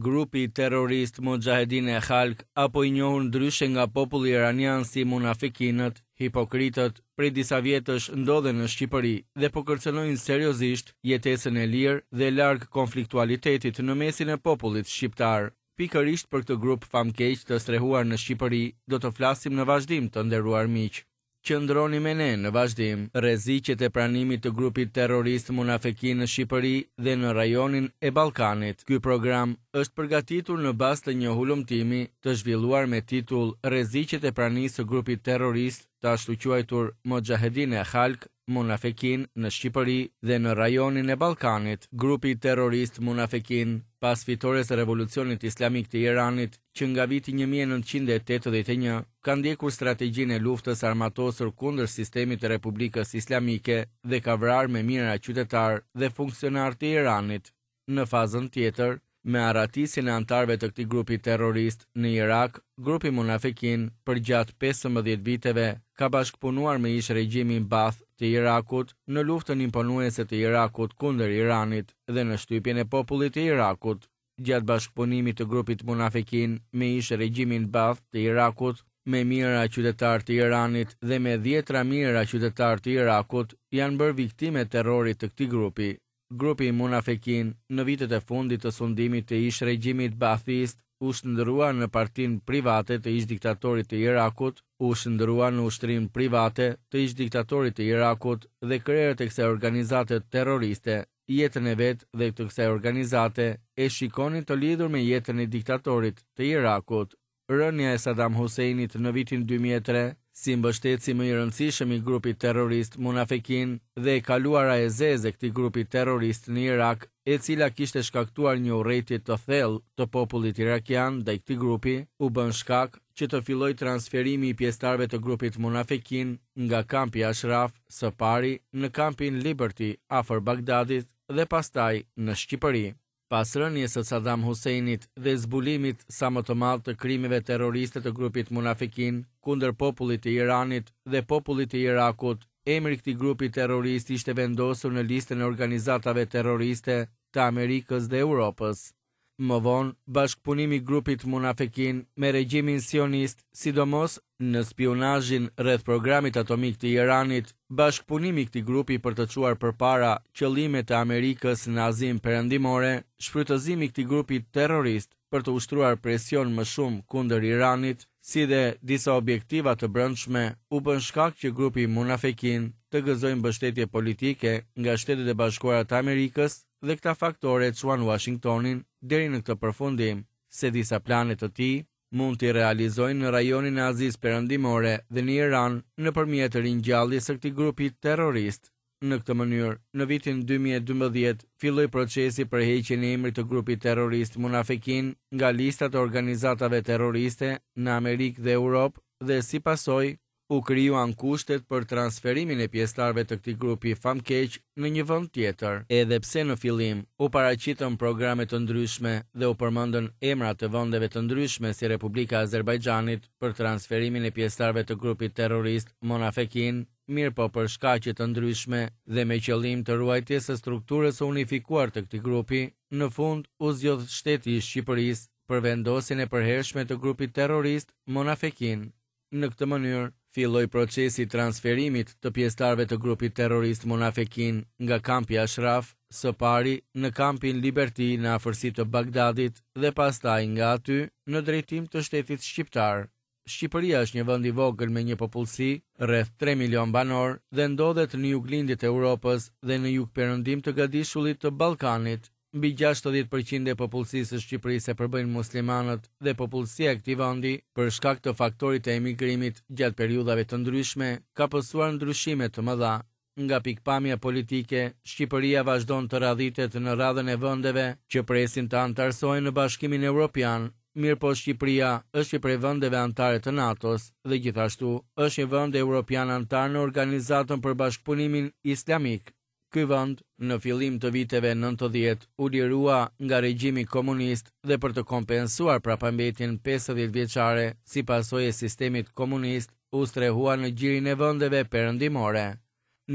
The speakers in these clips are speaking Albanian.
Grupi terrorist Muxhahedin e Khalk apo i njohur ndryshe nga populli iranian si munafikinët, hipokritët, prej disa vjetësh ndodhen në Shqipëri dhe po kërcënojnë seriozisht jetesën e lirë dhe larg konfliktualitetit në mesin e popullit shqiptar. Pikërisht për këtë grup famkeq të strehuar në Shqipëri do të flasim në vazhdim të nderuar miq. Qëndroni me ne në vazhdim. Rreziqet e pranimit të grupit terrorist Munafekin në Shqipëri dhe në rajonin e Ballkanit. Ky program është përgatitur në bazë të një hulumtimi të zhvilluar me titull Rreziqet e pranisë së grupit terrorist të ashtuquajtur Moxhahedin e Khalk, Munafekin në Shqipëri dhe në rajonin e Ballkanit. Grupi terrorist Munafekin, pas fitores së Revolucionit Islamik të Iranit, që nga viti 1981 ka ndjekur strategjinë e luftës së armatosur kundër sistemit të Republikës Islamike dhe ka vrarë me mijëra qytetarë dhe funksionarë të Iranit. Në fazën tjetër, me arratisjen e anëtarëve të këtij grupi terrorist në Irak, grupi Munafekin përgjatë 15 viteve ka bashkëpunuar me ish-regjimin Baath të Irakut në luftën imponuese të Irakut kundër Iranit dhe në shtypjen e popullit të Irakut. Gjatë bashkëpunimit të grupit Munafekin me ish-regjimin Baath të Irakut, me mijëra qytetarë të Iranit dhe me dhjetëra mijëra qytetarë të Irakut janë bërë viktimë e terrorit të këtij grupi. Grupi Munafekin në vitet e fundit të sundimit të ish-regjimit Baathist u shndërrua në partinë private të ish-diktatorit të Irakut, u shndërrua në ushtrinë private të ish-diktatorit të Irakut dhe krerët e kësaj organizate terroriste jetën e vet dhe të kësaj organizate e shikonin të lidhur me jetën e diktatorit të Irakut. Rënia e Saddam Husseinit në vitin 2003, si mbështetësi më i rëndësishëm i grupit terrorist Munafekin dhe e kaluara e zezë e këtij grupi terrorist në Irak, e cila kishte shkaktuar një urrejtje të thellë të popullit irakian ndaj këtij grupi, u bën shkak që të fillojë transferimi i pjesëtarëve të grupit Munafekin nga kampi Ashraf së pari në kampin Liberty afër Bagdadit dhe pastaj në Shqipëri. Pas rënies së Saddam Husseinit dhe zbulimit sa më të madh të krimeve terroriste të grupit Munafekin kundër popullit të Iranit dhe popullit të Irakut, emri i këtij grupi terrorist ishte vendosur në listën e organizatave terroriste të Amerikës dhe Europës. Më vonë, bashkëpunimi i grupit Munafekin me regjimin sionist, sidomos në spiunazhin rreth programit atomik të Iranit, bashkëpunimi i këtij grupi për të çuar përpara qëllimet e Amerikës në Azinë Perëndimore, shfrytëzimi i këtij grupi terrorist për të ushtruar presion më shumë kundër Iranit, si dhe disa objektiva të brendshme, u bën shkak që grupi Munafekin të gëzojë mbështetje politike nga Shtetet e Bashkuara të Amerikës dhe këta faktorë e çuan Uashingtonin deri në këtë përfundim se disa plane të tij mund t'i realizojnë në rajonin e Azisë Perëndimore dhe në Iran nëpërmjet ringjalljes së këtij grupi terrorist. Në këtë mënyrë, në vitin 2012 filloi procesi për heqjen e emrit të grupit terrorist Munafekin nga listat e organizatave terroriste në Amerikë dhe Europë dhe si pasojë u krijuan kushtet për transferimin e pjesëtarëve të këtij grupi famkeq në një vend tjetër. Edhe pse në fillim u paraqitën programe të ndryshme dhe u përmendën emra të vendeve të ndryshme si Republika e Azerbajxhanit për transferimin e pjesëtarëve të grupit terrorist Monafekin, mirëpo për shkaqe të ndryshme dhe me qëllim të ruajtjes së strukturës së unifikuar të këtij grupi, në fund u zgjodh shteti i Shqipërisë për vendosjen e përhershme të grupit terrorist Monafekin. Në këtë mënyrë, filloi procesi i transferimit të pjesëtarëve të grupit terrorist Munafekin nga kampi Ashraf, së pari në kampin Liberty në afërsi të Bagdadit dhe pastaj nga aty në drejtim të shtetit shqiptar. Shqipëria është një vend i vogël me një popullsi rreth 3 milion banorë dhe ndodhet në juglindje të Europës dhe në jugperëndim të gadishullit të Ballkanit. Mbi 60% e popullsisë së Shqipërisë e përbëjnë muslimanët dhe popullsia e këtij vendi, për shkak të faktorit të emigrimit gjatë periudhave të ndryshme, ka pësuar ndryshime të mëdha. Nga pikëpamja politike, Shqipëria vazhdon të radhitet në radhën e vendeve që presin të anëtarësohen në Bashkimin Evropian. Mirëpo Shqipëria është një prej vendeve anëtare të NATO-s dhe gjithashtu është një vend evropian anëtar në Organizatën për Bashkëpunimin Islamik. Ky vend, në fillim të viteve 90, u lirua nga regjimi komunist dhe për të kompensuar prapambetjen 50 vjeçare si pasojë e sistemit komunist, u strehua në gjirin e vendeve perëndimore.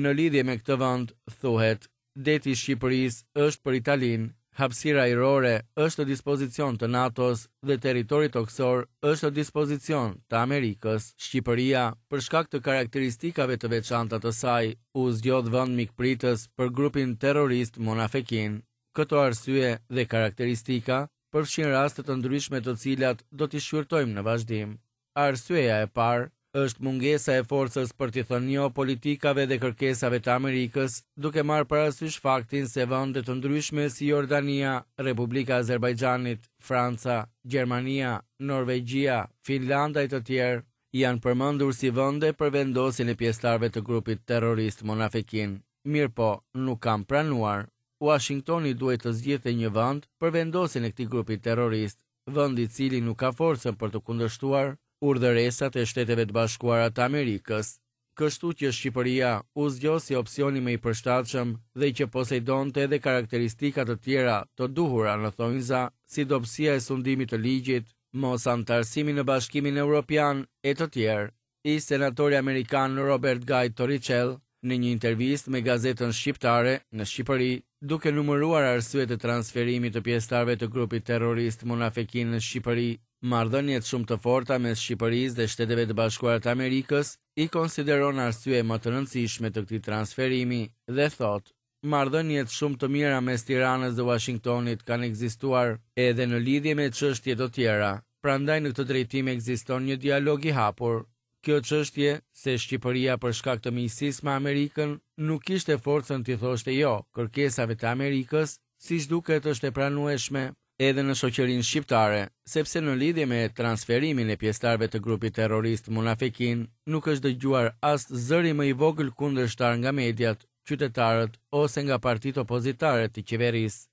Në lidhje me këtë vend, thuhet, deti i Shqipërisë është për Italinë, Hapësira ajrore është në dispozicion të NATO-s dhe territori tokësor është në dispozicion të Amerikës. Shqipëria, për shkak të karakteristikave të veçanta të saj, u zgjodh vend mikpritës për grupin terrorist Monafekin. Këto arsye dhe karakteristika përfshijnë raste të ndryshme të cilat do t'i shqyrtojmë në vazhdim. Arsyeja e parë është mungesa e forcës për t'i thënë jo politikave dhe kërkesave të Amerikës, duke marrë parasysh faktin se vende të ndryshme si Jordania, Republika e Azerbajxhanit, Franca, Gjermania, Norvegjia, Finlanda e të tjerë, janë përmendur si vende për vendosjen e pjesëtarëve të grupit terrorist Monafekin, mirëpo nuk kanë pranuar. Uashingtoni duhej të zgjidhte një vend për vendosjen e këtij grupi terrorist, vend i cili nuk ka forcën për të kundërshtuar urdhëresat e Shteteve të Bashkuara të Amerikës. Kështu që Shqipëria u zgjodh si opsioni më i përshtatshëm dhe që poseidonte edhe karakteristika të tjera të duhura në thonjza, si dobësia e sundimit të ligjit, mos anëtarësimi në Bashkimin Europian e të tjerë. Ish-senatori amerikan Robert Guy Torricelli, në një intervistë me gazetën shqiptare në Shqipëri, duke numëruar arsyet e transferimit të pjesëtarëve të grupit terrorist Monafekin në Shqipëri, marrëdhëniet shumë të forta mes Shqipërisë dhe Shteteve të Bashkuara të Amerikës i konsideron arsye më të rëndësishme të këtij transferimi dhe thotë, Marrëdhëniet shumë të mira mes Tiranës dhe Uashingtonit kanë ekzistuar edhe në lidhje me çështje të tjera, prandaj në këtë drejtim ekziston një dialog i hapur. Kjo çështje, se Shqipëria për shkak të miqësisë me Amerikën nuk kishte forcën t'i thoshte jo kërkesave të Amerikës, siç duket është e pranueshme edhe në shoqërinë shqiptare, sepse në lidhje me transferimin e pjesëtarëve të grupit terrorist Munafekin nuk është dëgjuar as zëri më i vogël kundërshtar nga mediat, qytetarët ose nga partitë opozitare të qeverisë.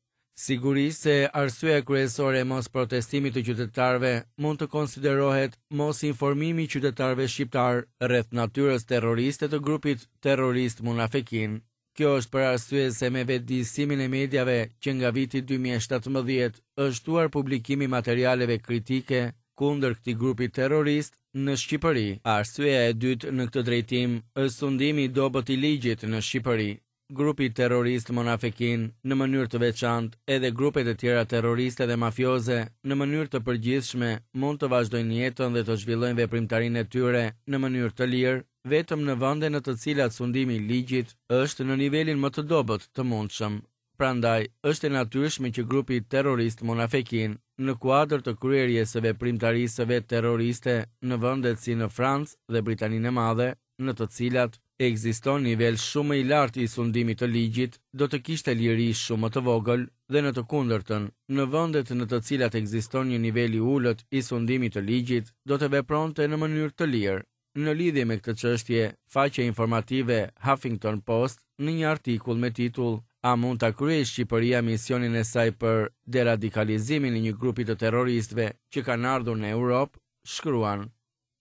Sigurisht se arsyeja kryesore e mosprotestimit të qytetarëve mund të konsiderohet mosinformimi i qytetarëve shqiptarë rreth natyrës terroriste të grupit terrorist Munafekin. Kjo është për arsye se me vetëdijësimin e mediave që nga viti 2017 është shtuar publikimi i materialeve kritike kundër këtij grupi terrorist në Shqipëri. Arsyeja e dytë në këtë drejtim është sundimi i dobët i ligjit në Shqipëri. Grupi terrorist Monafekin, në mënyrë të veçantë, edhe grupet e tjera terroriste dhe mafioze, në mënyrë të përgjithshme, mund të vazhdojnë jetën dhe të zhvillojnë veprimtarinë e tyre në mënyrë të lirë, vetëm në vende në të cilat sundimi i ligjit është në nivelin më të dobët të mundshëm. Prandaj, është e natyrshme që grupi terrorist Monafekin, në kuadër të kryerjes së veprimtarisë së vet terroriste në vendet si në Francë dhe Britaninë e Madhe, në të cilat ekziston nivel shumë më i lartë i sundimit të ligjit, do të kishte liri shumë më të vogël dhe në të kundërtën, në vendet në të cilat ekziston një nivel i ulët i sundimit të ligjit, do të vepronte në mënyrë të lirë. Në lidhje me këtë çështje, faqja informative Huffington Post në një artikull me titull A mund ta kryejë Shqipëria misionin e saj për deradikalizimin e një grupi të terroristëve që kanë ardhur në Europë, shkruan,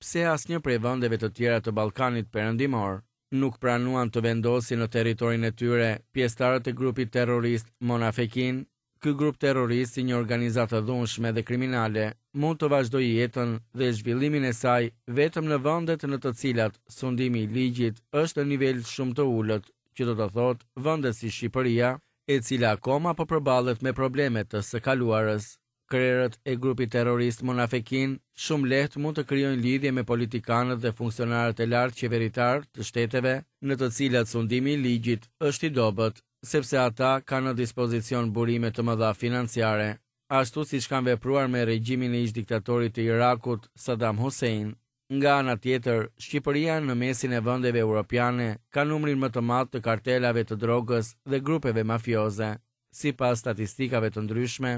Pse asnjë prej vendeve të tjera të Ballkanit Perëndimor nuk pranuan të vendosin në territorin e tyre pjesëtarët e grupit terrorist Monafekin? Ky grup terrorist si një organizatë e dhunshme dhe kriminale mund të vazhdojë jetën dhe zhvillimin e saj vetëm në vendet në të cilat sundimi i ligjit është në nivel shumë të ulët, që do të thotë vende si Shqipëria, e cila akoma po përballet me probleme të së kaluarës. Krerët e grupit terrorist Monafekin shumë lehtë mund të krijojnë lidhje me politikanët dhe funksionarët e lartë qeveritarë të shteteve në të cilat sundimi i ligjit është i dobët, sepse ata kanë në dispozicion burime të mëdha financiare, ashtu siç kanë vepruar me regjimin e ish-diktatorit të Irakut, Saddam Hussein. Nga ana tjetër, Shqipëria në mesin e vendeve europiane ka numrin më të madh të kartelave të drogës dhe grupeve mafioze. Sipas statistikave të ndryshme,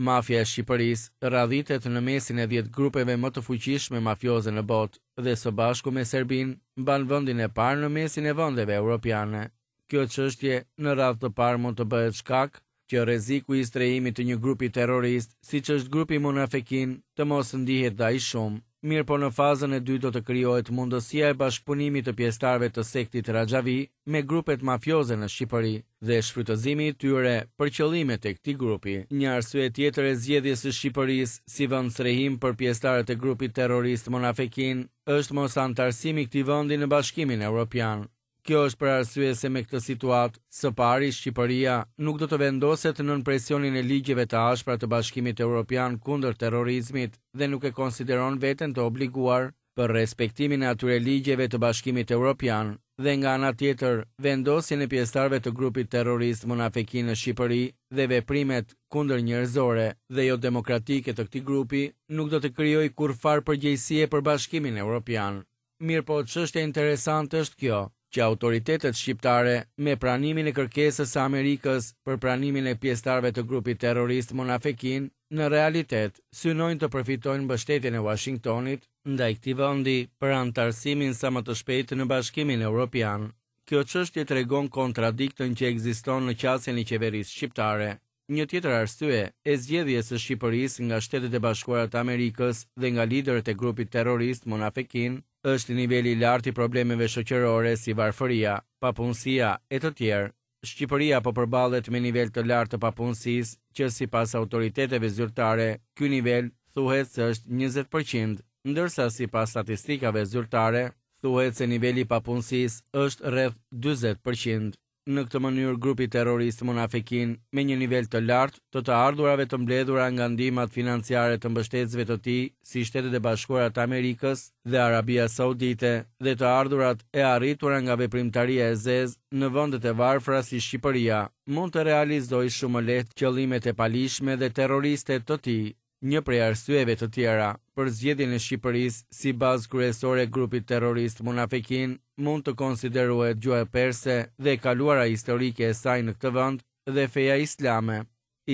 mafia e Shqipërisë radhitet në mesin e 10 grupeve më të fuqishme mafioze në botë dhe së bashku me Serbinë mban vendin e parë në mesin e vendeve europiane. Kjo çështje në radhë të parë mund të bëhet shkak që rreziku i strehimit të një grupi terrorist, siç është grupi Munafekin, të mos ndihet dhe aq shumë. Mirëpo në fazën e dytë do të krijohet mundësia e bashkëpunimit të pjesëtarëve të sektit Raxhavi me grupet mafioze në Shqipëri dhe shfrytëzimi i tyre për qëllimet e këtij grupi. Një arsye tjetër e zgjedhjes së Shqipërisë si vend strehim për pjesëtarët e grupit terrorist Monafekin është mos anëtarësimi i këtij vendi në Bashkimin Europian. Kjo është për arsye se me këtë situatë, së pari Shqipëria nuk do të vendoset nën presionin e ligjeve të ashpra të Bashkimit Europian kundër terrorizmit dhe nuk e konsideron veten të obliguar për respektimin e atyre ligjeve të Bashkimit Europian dhe nga ana tjetër vendosjen e pjesëtarëve të grupit terrorist Munafekin në Shqipëri dhe veprimet kundërnjerëzore dhe jodemokratike të këtij grupi nuk do të krijojë kurrfarë përgjegjësie për Bashkimin Europian. Mirëpo çështja interesante është kjo, që autoritetet shqiptare, me pranimin e kërkesës së Amerikës për pranimin e pjesëtarëve të grupit terrorist Munafekin, në realitet synojnë të përfitojnë mbështetjen e Uashingtonit ndaj këtij vendi për anëtarësimin sa më të shpejtë në Bashkimin Europian. Kjo çështje tregon kontradiktën që ekziston në qasjen e qeverisë shqiptare. Një tjetër arsye e zgjedhjes së Shqipërisë nga Shtetet e Bashkuara të Amerikës dhe nga liderët e grupit terrorist Munafekin është niveli i lartë i problemeve shoqërore si varfëria, papunësia e të tjerë. Shqipëria po përballet me nivel të lartë të papunësisë, që sipas autoriteteve zyrtare, ky nivel thuhet se është 20 për qind, ndërsa sipas statistikave zyrtare, thuhet se niveli i papunësisë është rreth 40 për qind. Në këtë mënyrë grupi terrorist Munafekin, me një nivel të lartë të të ardhurave të mbledhura nga ndihmat financiare të mbështetësve të tij si Shtetet e Bashkuara të Amerikës dhe Arabia Saudite dhe të ardhurat e arritura nga veprimtaria e zezë në vendet e varfra si Shqipëria, mund të realizojë shumë më lehtë qëllimet e paligjshme dhe terroriste të tij. Një prej arsyeve të tjera për zgjedhjen e Shqipërisë si bazë kryesore e grupit terrorist Munafekin mund të konsiderohet gjuha perse dhe e kaluara historike e saj në këtë vend dhe feja islame.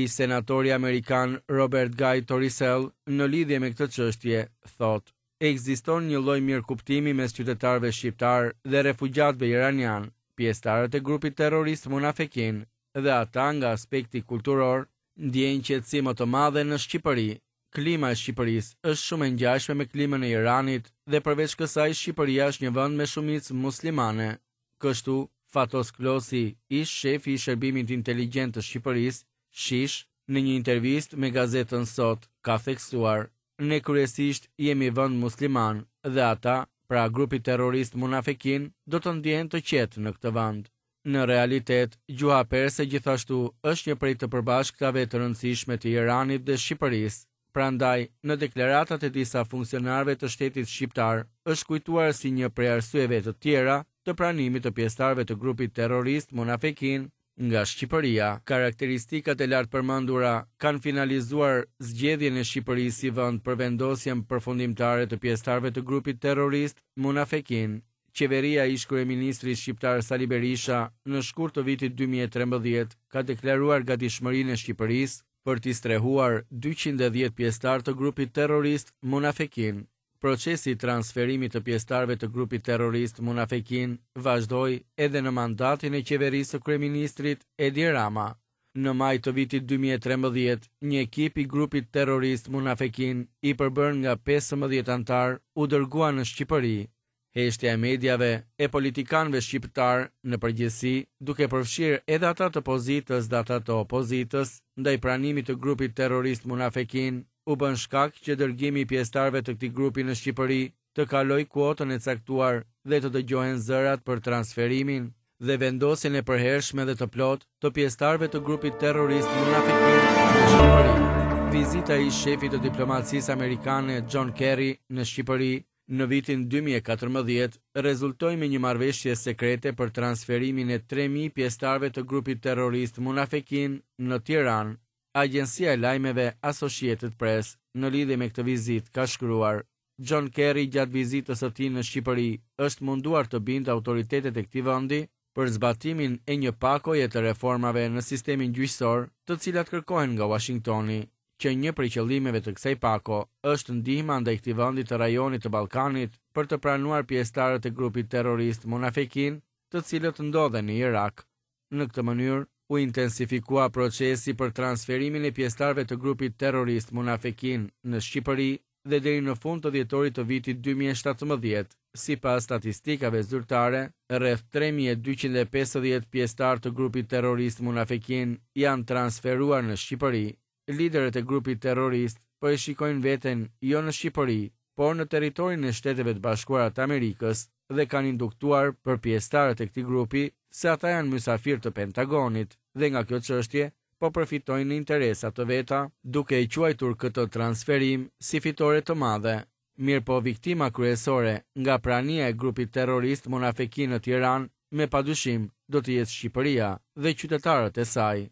Ish-senatori amerikan Robert Guy Torisel në lidhje me këtë çështje thotë, Ekziston një lloj mirëkuptimi mes qytetarëve shqiptarë dhe refugjatëve iranianë, pjesëtarët e grupit terrorist Munafekin, dhe ata nga aspekti kulturor ndjejnë qetësi më të madhe në Shqipëri. Klima e Shqipërisë është shumë e ngjashme me klimën e Iranit dhe përveç kësaj Shqipëria është një vend me shumicë muslimane. Kështu, Fatos Klosi, ish-shefi i Shërbimit Inteligjent të Shqipërisë, SHISH, në një intervistë me gazetën Sot, ka theksuar, Ne kryesisht jemi vend musliman dhe ata, pra grupi terrorist Munafekin, do të ndjehen të qetë në këtë vend. Në realitet, gjuha perse gjithashtu është një prej të përbashkëtave të rëndësishme të Iranit dhe Shqipërisë. Prandaj, në deklaratat e disa funksionarëve të shtetit shqiptar është kujtuar si një prej arsyeve të tjera të pranimit të pjesëtarëve të grupit terrorist Munafekin nga Shqipëria. Karakteristikat e lartpërmendura kanë finalizuar zgjedhjen e Shqipërisë si vend për vendosjen përfundimtare të pjesëtarëve të grupit terrorist Munafekin. Qeveria e ish-kryeministrit shqiptar Sali Berisha në shkurt të vitit 2013 ka deklaruar gatishmërinë e Shqipërisë për t'i strehuar 210 pjesëtarë të grupit terrorist Munafekin. Procesi i transferimit të pjesëtarëve të grupit terrorist Munafekin vazhdoi edhe në mandatin e qeverisë së kryeministrit Edi Rama. Në maj të vitit 2013, një ekip i grupit terrorist Munafekin, i përbërë nga 15 anëtarë, u dërgua në Shqipëri. Heshtja e mediave, e politikanëve shqiptarë në përgjithësi, duke përfshirë edhe ata të pozitës dhe ata të opozitës, ndaj pranimit të grupit terrorist Munafekin, u bën shkak që dërgimi i pjesëtarëve të këtij grupi në Shqipëri të kalojë kuotën e caktuar dhe të dëgjohen zërat për transferimin dhe vendosjen e përhershme dhe të plotë të pjesëtarëve të grupit terrorist Munafekin në Shqipëri. Vizita e ish-shefit të diplomacisë amerikane John Kerry në Shqipëri në vitin 2014 rezultoi me një marrëveshje sekrete për transferimin e 3000 pjesëtarëve të grupit terrorist Munafekin në Tiranë. Agjencia e lajmeve Associated Press në lidhje me këtë vizitë ka shkruar: John Kerry gjatë vizitës së tij në Shqipëri është munduar të bindë autoritetet e këtij vendi për zbatimin e një pakoje të reformave në sistemin gjyqësor, të cilat kërkohen nga Uashingtoni, që një prej qëllimeve të kësaj pako është ndihma ndaj këtij vendi të rajonit të Ballkanit për të pranuar pjesëtarët e grupit terrorist Munafekin, të cilët ndodhen në Irak. Në këtë mënyrë, u intensifikua procesi për transferimin e pjesëtarëve të grupit terrorist Munafekin në Shqipëri dhe deri në fund të dhjetorit të vitit 2017, sipas statistikave zyrtare, rreth 3250 pjesëtarë të grupit terrorist Munafekin janë transferuar në Shqipëri. Liderët e grupit terrorist po e shikojnë veten jo në Shqipëri, por në territorin e Shteteve të Bashkuara të Amerikës. dhe kanë induktuar për pjesëtarët e këtij grupi se ata janë mysafirë të Pentagonit dhe nga kjo çështje po përfitojnë në interesa të veta, duke e quajtur këtë transferim si fitore të madhe. Mirëpo viktima kryesore nga prania e grupit terrorist Munafekin në Tiranë me padyshim do të jetë Shqipëria dhe qytetarët e saj.